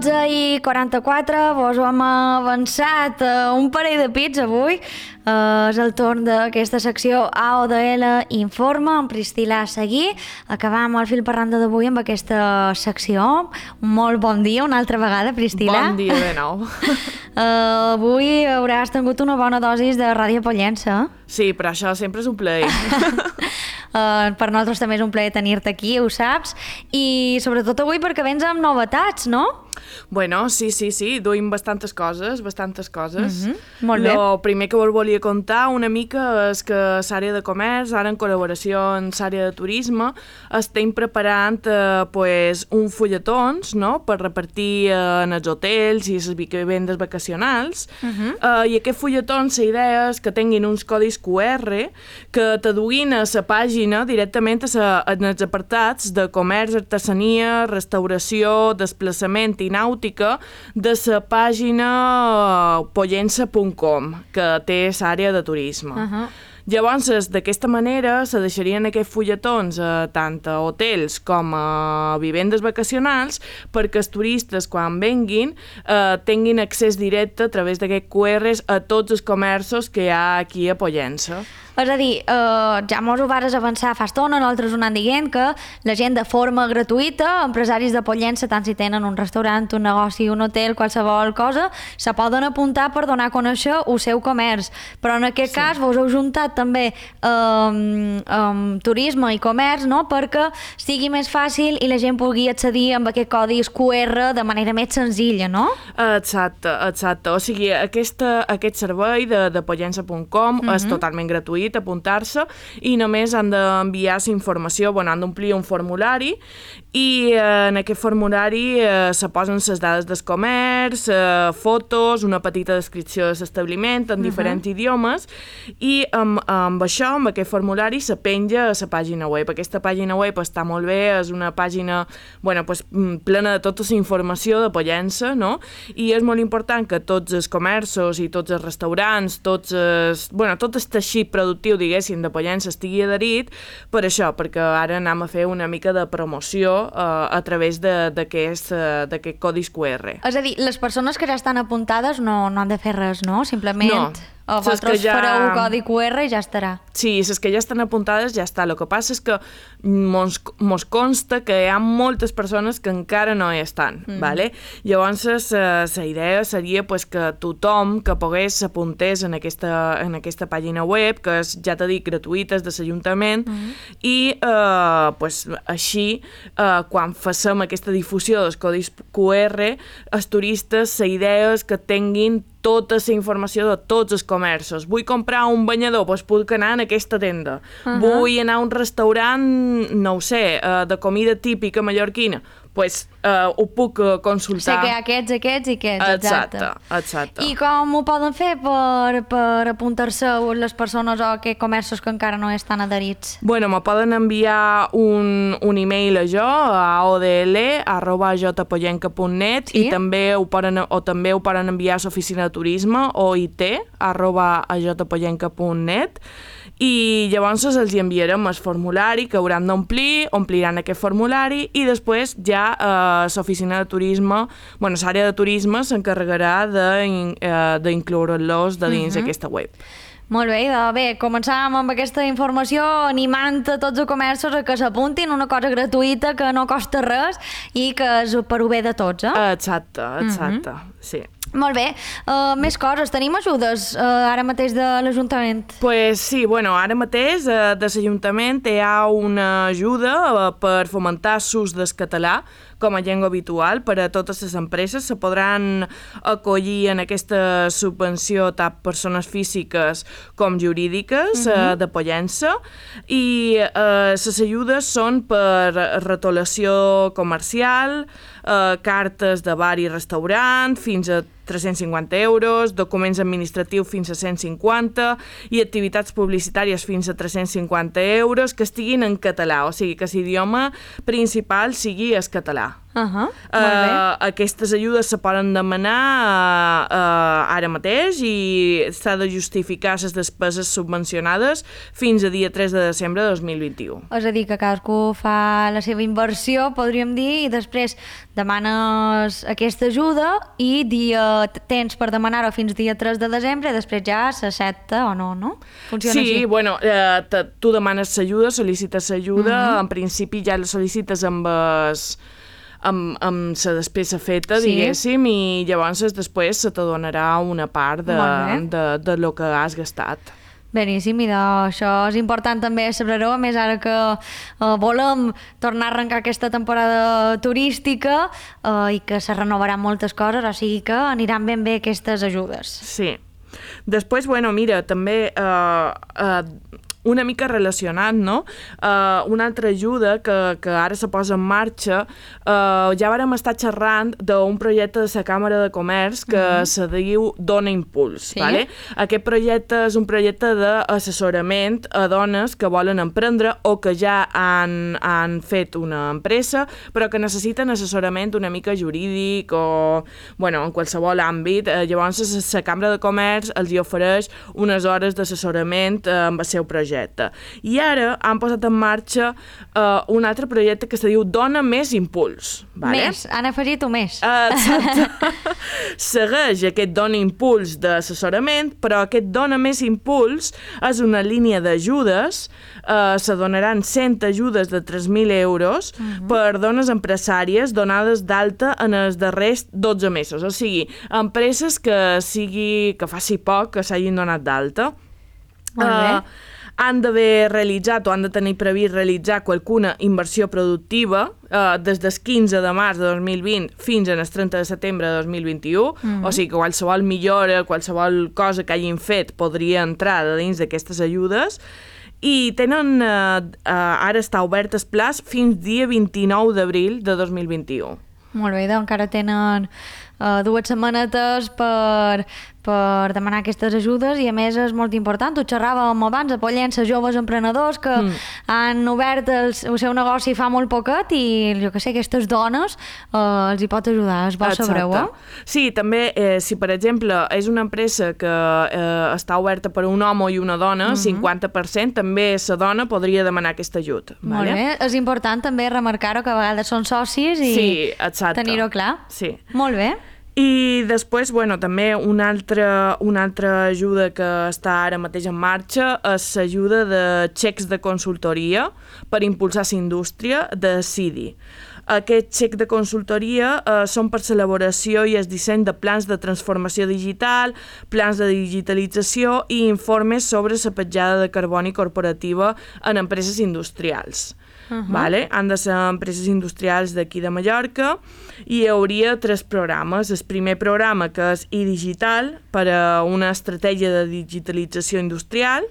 12:44, vos hem avançat un parell de pits avui. És el torn d'aquesta secció AODL Informa amb Priscila Seguí. Acabam el fil per randa d'avui amb aquesta secció. Un molt bon dia una altra vegada, Priscila. Bon dia de nou. Avui hauràs tingut una bona dosis de Ràdio Pollença. Sí, però això sempre és un plaer. Per nosaltres també és un plaer tenir-te aquí, ho saps. I sobretot avui perquè vens amb novetats, no? Bueno, sí, duim bastantes coses. Molt bé. El primer que vos volia contar una mica és que l'àrea de comerç, ara en col·laboració amb l'àrea de turisme, estem preparant un fulletons, no?, per repartir en els hotels i les vivendes vacacionals. I aquest fulletons, la idea és que tinguin uns codis QR que t'aduguin a la pàgina directament en els apartats de comerç, artesania, restauració, desplaçament i nàutica de la pàgina pollença.com, que té l'àrea de turisme. Llavors, d'aquesta manera, se deixarien aquests fulletons tant a hotels com a vivendes vacacionals perquè els turistes, quan venguin, tinguin accés directe a través d'aquests QRs a tots els comerços que hi ha aquí a Pollença. És a dir, ja mos ho vares avançar fa estona, nosaltres ho anant dient, que la gent de forma gratuïta, empresaris de Pollença, tant si tenen un restaurant, un negoci, un hotel, qualsevol cosa, se poden apuntar per donar a conèixer el seu comerç. Però en aquest cas vos heu juntat també turisme i comerç, no?, perquè sigui més fàcil i la gent pugui accedir amb aquest codis QR de manera més senzilla, no? Exacte. O sigui, aquest servei de pollença.com és totalment gratuït, apuntar-se, i només han d'enviar la informació, han d'omplir un formulari, i en aquest formulari se posen les dades del comerç, fotos, una petita descripció de l'establiment en diferents idiomes, i amb això, amb aquest formulari, se penja a la pàgina web. Aquesta pàgina web està molt bé, és una pàgina plena de tota la informació de Pollença, no? I és molt important que tots els comerços i tots els restaurants, tot el teixit productiu, diguéssim, de Pollença estigui adherit per això, perquè ara anem a fer una mica de promoció a través d'aquest codis QR. És a dir, les persones que ja estan apuntades no han de fer res, no? Simplement vosaltres fareu un codi QR i ja estarà. Sí, les que ja estan apuntades ja està. El que passa és que mos consta que hi ha moltes persones que encara no hi estan. ¿vale? Llavors, la idea seria que tothom que pogués s'apuntés en aquesta pàgina web, que és, ja t'he dit, gratuïta, és de l'Ajuntament, i així, quan facem aquesta difusió dels codis QR, els turistes, la idea és que tinguin tota la informació de tots els comerços. Vull comprar un banyador, doncs puc anar en aquesta tenda. Vull anar a un restaurant, no ho sé, de comida típica mallorquina, doncs ho puc consultar. Sé que hi ha aquests i aquests. Exacte. I com ho poden fer per apuntar-se les persones o aquests comerços que encara no estan adherits? Me poden enviar un e-mail a jo, a odl@jpollenca.net, i també ho poden enviar a l'oficina de turisme, oit@jpollenca.net, i llavors els enviarem el formulari que hauran d'omplir, ompliran aquest formulari, i després ja l'oficina de turisme, l'àrea de turisme s'encarregarà d'incloure-los de dins aquesta web. Molt bé, començàvem amb aquesta informació animant a tots els comerços a que s'apuntin, una cosa gratuïta que no costa res i que és per ho bé de tots, Exacte, sí. Molt bé. Més coses. Tenim ajudes ara mateix de l'Ajuntament? Sí, ara mateix de l'Ajuntament hi ha una ajuda per fomentar l'ús del català com a llengua habitual per a totes les empreses. Se podran acollir en aquesta subvenció tant persones físiques com jurídiques de Pollença, i les ajudes són per retolació comercial, cartes de bar i restaurant fins a 350 euros, documents administratius fins a 150 i activitats publicitàries fins a 350 euros que estiguin en català, o sigui que l'idioma principal sigui el català. Molt bé. Aquestes ajudes se poden demanar ara mateix i s'ha de justificar les despeses subvencionades fins a dia 3 de desembre de 2021. És a dir, que cadascú fa la seva inversió, podríem dir, i després demanes aquesta ajuda i tens per demanar-ho fins dia 3 de desembre i després ja s'accepta o no, no? Funciona així? Sí, bueno, tu demanes l'ajuda, sol·licites l'ajuda, en principi ja la sol·licites amb la despesa feta, diguéssim, i llavors després se t'adonarà una part de lo que has gastat. Beníssim, i això és important també saber-ho, a més ara que volem tornar a arrencar aquesta temporada turística i que se renovaran moltes coses, o sigui que aniran ben bé aquestes ajudes. Sí. Després, bueno, mira, també una mica relacionat, no? Una altra ajuda que ara se posa en marxa, ja vàrem estar xerrant d'un projecte de la Càmera de Comerç que se diu Dona Impuls. Sí? Vale? Aquest projecte és un projecte d'assessorament a dones que volen emprendre o que ja han fet una empresa, però que necessiten assessorament una mica jurídic o, bueno, en qualsevol àmbit. Llavors, la Càmera de Comerç els hi ofereix unes hores d'assessorament amb el seu projecte. I ara han posat en marxa un altre projecte que se diu Dona Més Impuls. Vale? Més, han afegit un més. Exacte. Segueix aquest Dona Impuls d'assessorament, però aquest Dona Més Impuls és una línia d'ajudes, se donaran 100 ajudes de 3.000 euros per dones empresàries donades d'alta en els darrers 12 mesos, o sigui, empreses que faci poc que s'hagin donat d'alta. Molt bé. Han d'haver realitzat o han de tenir previst realitzar qualcuna inversió productiva des del 15 de març de 2020 fins al 30 de setembre de 2021, o sigui que qualsevol millora, qualsevol cosa que hagin fet podria entrar dins d'aquestes ajudes, i tenen, ara està obert el plaç fins dia 29 d'abril de 2021. Molt bé, doncs encara tenen 2 setmanetes per demanar aquestes ajudes i a més és molt important, ho xerràvem abans a Pollença, joves emprenedors que han obert el seu negoci fa molt poquet i jo que sé, aquestes dones els hi pot ajudar, és bo saber-ho. Sí, també si per exemple és una empresa que està oberta per un home i una dona, 50% també la dona podria demanar aquest ajut. Molt bé, és important també remarcar-ho que a vegades són socis i tenir-ho clar. Sí. Molt bé. I després, bueno, també una altra ajuda que està ara mateix en marxa és l'ajuda de xecs de consultoria per impulsar la indústria de CIDI. Aquests xecs de consultoria són per l'elaboració i el disseny de plans de transformació digital, plans de digitalització i informes sobre la petjada de carboni corporativa en empreses industrials. Vale? Han de ser empreses industrials d'aquí de Mallorca i hi hauria 3 programes. El primer programa, que és iDigital, per a una estratègia de digitalització industrial.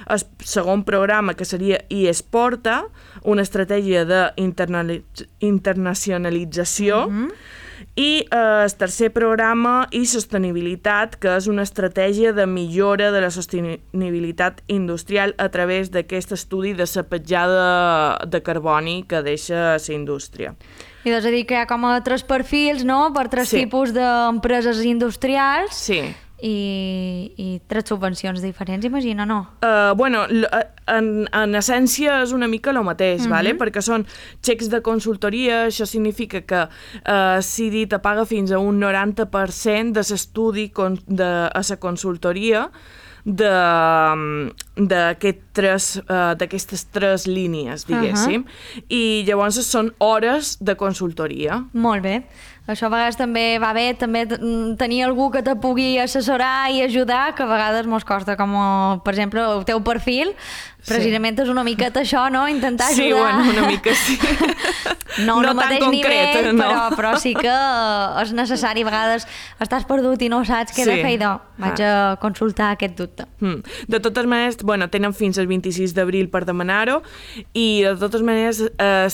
El segon programa, que seria iEsporta, una estratègia d'internacionalització. I el tercer programa, iSostenibilitat, que és una estratègia de millora de la sostenibilitat industrial a través d'aquest estudi de la petjada de carboni que deixa la indústria. I és a dir, que hi ha com a 3 perfils, no?, per 3 tipus d'empreses industrials. Sí. I 3 subvencions diferents, imagina, no? Bueno, en essència és una mica el mateix, vale? Perquè són xecs de consultoria, això significa que CIDI te paga fins a un 90% de l'estudi a la consultoria d'aquestes 3 línies, diguéssim, i llavors són hores de consultoria. Molt bé. Això a vegades també va bé, també tenir algú que te pugui assessorar i ajudar, que a vegades mos costa, com per exemple el teu perfil, precisament és una miqueta això, no? Intentar ajudar. Sí, bueno, una mica sí. No al mateix concret, nivell, no. però sí que és necessari. A vegades estàs perdut i no saps què he de fer, i vaig a consultar aquest dubte. De totes maneres, bueno, tenen fins al 26 d'abril per demanar-ho, i de totes maneres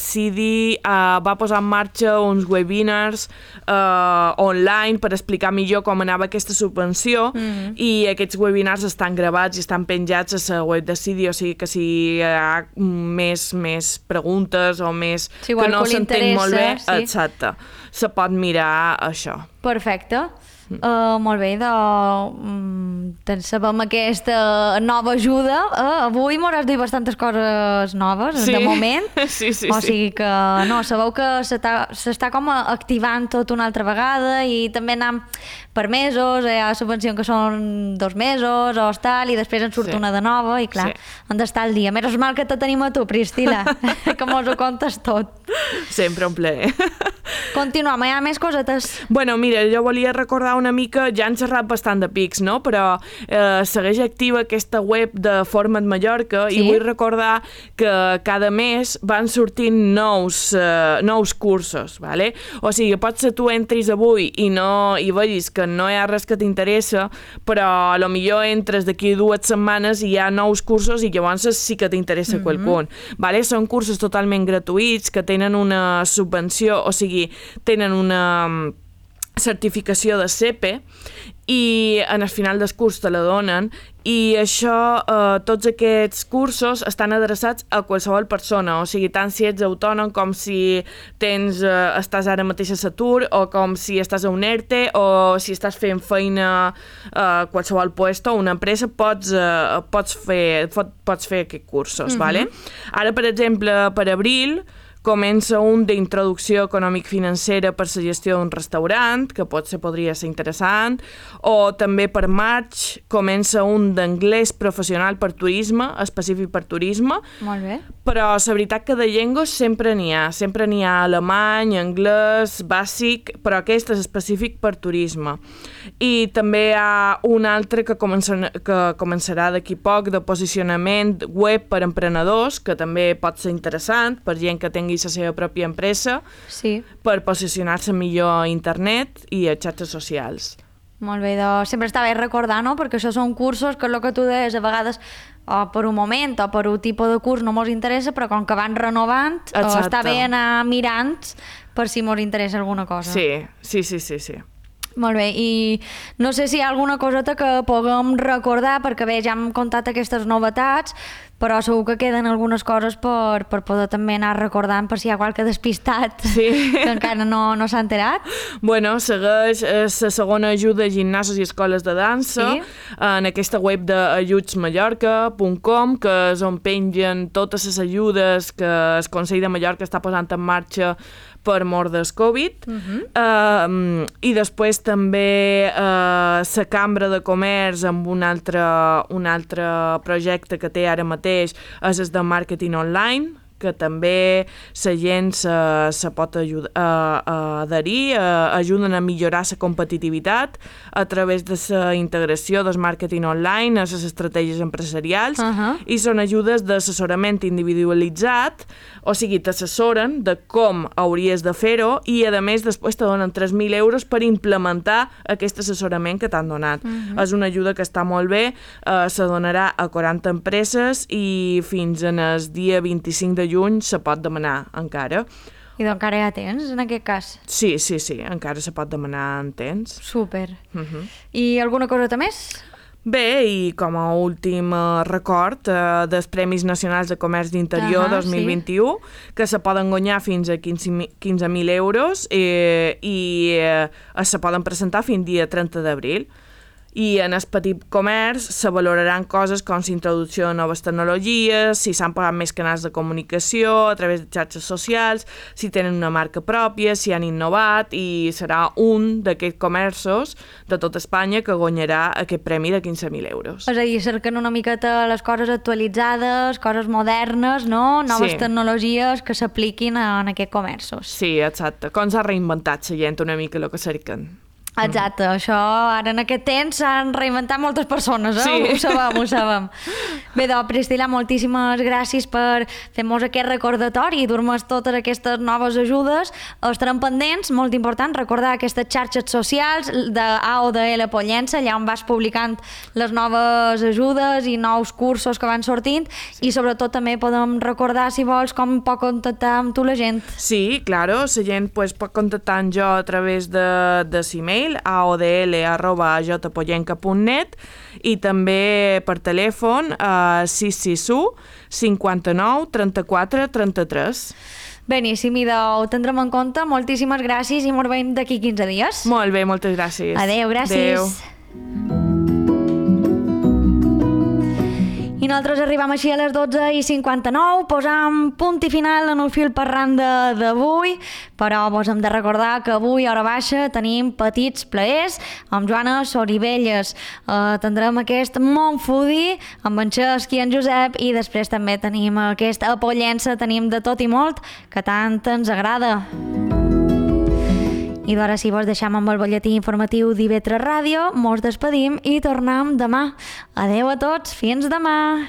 CIDI va posar en marxa uns webinars online per explicar millor com anava aquesta subvenció i aquests webinars estan gravats i estan penjats a la web de Cidi, o sigui que si hi ha més preguntes o més sí, que no s'entén molt bé, sí. exacte, se pot mirar això. Perfecte. Molt bé, sabem aquesta nova ajuda. Avui m'hauràs dit bastantes coses noves, de moment. Sí. O sigui que, no, sabeu que s'està com activant tot una altra vegada i també anam per mesos, hi ha subvencions que són 2 mesos o tal, i després en surt una de nova i clar, han d'estar al dia. Menys mal que te tenim a tu, Priscila, que mos ho contes tot. Sempre un plaer. Continuem, hi ha més cosetes? Bueno, mira, jo volia recordar una mica, ja han xerrat bastant de Pics, no? Però segueix activa aquesta web de Forma't Mallorca i vull recordar que cada mes van sortint nous cursos, ¿vale? O sigui, pot ser tu entris avui i vegis que no hi ha res que t'interessa, però a lo millor entres d'aquí 2 setmanes i hi ha nous cursos i llavors sí que t'interessa qualcun, ¿vale? Són cursos totalment gratuïts que tenen una subvenció, o sigui, tenen una certificació de CEPE i en el final del curs te la donen i això, tots aquests cursos estan adreçats a qualsevol persona, o sigui, tant si ets autònom com si estàs ara mateix a l'atur o com si estàs a un ERTE o si estàs fent feina a qualsevol puesto o una empresa, pots fer aquests cursos, ¿vale? Ara, per exemple, per abril comença un d'introducció econòmic-financera per la gestió d'un restaurant, que podria ser interessant, o també per maig comença un d'anglès professional per turisme, específic per turisme. Molt bé. Però la veritat que de llengües sempre n'hi ha alemany, anglès, bàsic, però aquest és específic per turisme. I també hi ha un altre que començarà d'aquí poc, de posicionament web per emprenedors, que també pot ser interessant per gent que tingui la seva pròpia empresa, per posicionar-se millor a internet i a xarxes socials. Molt bé, sempre està bé recordar, no? Perquè això són cursos que el que tu deies a vegades o per un moment o per un tipus de curs no mos interessa, però com que van renovant, està bé anar mirant per si mos interessa alguna cosa. Sí. Molt bé, i no sé si hi ha alguna coseta que puguem recordar, perquè bé, ja hem contat aquestes novetats, però segur que queden algunes coses per poder també anar recordant per si hi ha qualque despistat que encara no s'ha enterat. Bueno, segueix la segona ajuda a gimnasos i escoles de dansa en aquesta web d'ajudsmallorca.com, que és on pengen totes les ajudes que el Consell de Mallorca està posant en marxa per mort del Covid. I després també la Cambra de Comerç amb un altre projecte que té ara mateix és el de màrqueting online, que també la gent se pot adherir, ajuden a millorar la competitivitat a través de la integració del màrqueting online a les estratègies empresarials i són ajudes d'assessorament individualitzat, o sigui, t'assessoren de com hauries de fer-ho i, a més, després te donen 3.000 euros per implementar aquest assessorament que t'han donat. És una ajuda que està molt bé, se donarà a 40 empreses i fins al dia 25 de juny se pot demanar encara. I doncs encara hi ha temps, en aquest cas? Sí, encara se pot demanar en temps. Súper. I alguna coseta més? Bé, i com a últim record dels Premis Nacionals de Comerç d'Interior 2021, que se poden guanyar fins a 15.000 euros i se poden presentar fins dia 30 d'abril. I en el petit comerç se valoraran coses com la introducció de noves tecnologies, si s'han pagat més canals de comunicació a través de xarxes socials, si tenen una marca pròpia, si han innovat, i serà un d'aquests comerços de tot Espanya que guanyarà aquest premi de 15.000 euros. És a dir, cerquen una miqueta les coses actualitzades, coses modernes, no? Noves tecnologies que s'apliquin en aquests comerços. Sí, exacte. Com s'ha reinventat la gent una mica el que cerquen. Exacte, això ara en aquest temps s'han reinventat moltes persones, Sí. Ho sabem. Bé, doncs, Priscila, moltíssimes gràcies per fer-nos aquest recordatori i dur-nos totes aquestes noves ajudes. Estarem pendents, molt important, recordar aquestes xarxes socials d'AODL Pollença, allà on vas publicant les noves ajudes i nous cursos que van sortint, i sobretot també podem recordar, si vols, com pot contactar amb tu la gent. Sí, claro, la gent pues, pot contactar amb jo a través de l'email aodl@jpollenca.net i també per telèfon 661 59 34 33. Beníssim, i ho tindrem en compte. Moltíssimes gràcies i ens veiem d'aquí 15 dies. Molt bé, moltes gràcies. Adéu, gràcies. Adéu. I nosaltres arribem així a les 12:59, posam punt i final en el fil parrant d'avui, però vos hem de recordar que avui a hora baixa tenim petits plaers amb Joana Soribelles. Tindrem aquest Montfudi amb en Xesc i en Josep, i després també tenim aquest a Pollença, tenim de tot i molt que tant ens agrada. I d'ara si vos deixam amb el butlletí informatiu d'IV3 Ràdio, mos despedim i tornem demà. Adeu a tots, fins demà!